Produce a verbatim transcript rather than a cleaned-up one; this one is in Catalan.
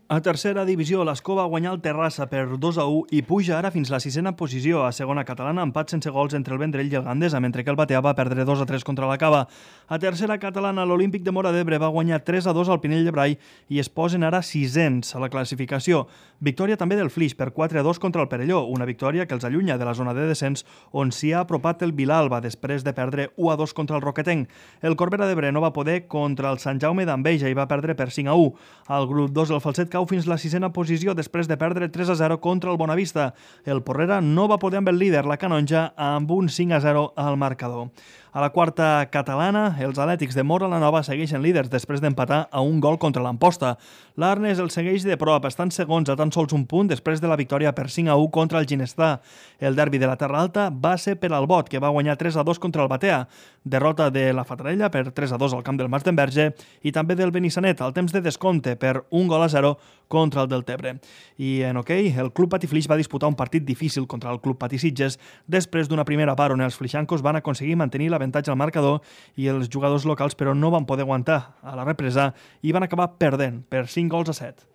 A tercera divisió, l'Escó va guanyar el Terrassa per dos a u i puja ara fins la sisena posició. A segona catalana, empat sense gols entre el Vendrell i el Gandesa, mentre que el Batea va perdre dos a tres contra la Cava. A tercera catalana, l'Olímpic de Móra d'Ebre va guanyar tres a dos al Pinell de Brai i es posen ara sisens a la classificació. Victòria també del Flix per quatre a dos contra el Perelló, una victòria que els allunya de la zona de descens on s'hi ha apropat el Vilalba després de perdre u a dos contra el Roquetenc. El Corbera d'Ebre no va poder contra el Sant Jaume d'Enveja i va perdre per cinc a u. Al grup dos, el Falset cau fins la sisena posició després de perdre tres a zero contra el Bonavista. El Porrera no va poder amb el líder, la Canonja, amb un cinc a zero al marcador. A la quarta catalana, els Atlètics de Móra la Nova segueixen líders després d'empatar a un gol contra l'Amposta. L'Arnes el segueix de prop, estan segons a tan sols un punt després de la victòria per cinc a u contra el Ginestà. El derbi de la Terra Alta va ser per al Bot, que va guanyar tres a dos contra el Batea. Derrota de la Fatarella per tres a dos al camp del Mas d'Enverge i també del Benissanet al temps de descompte per un gol a zero contra el Deltebre. I en hoquei, el Club Patí Flix va disputar un partit difícil contra el Club Patí Sitges després d'una primera part on els flixancos van aconseguir mantenir l'avantatge al marcador i els jugadors locals però no van poder aguantar a la represa i van acabar perdent per cinc gols a set.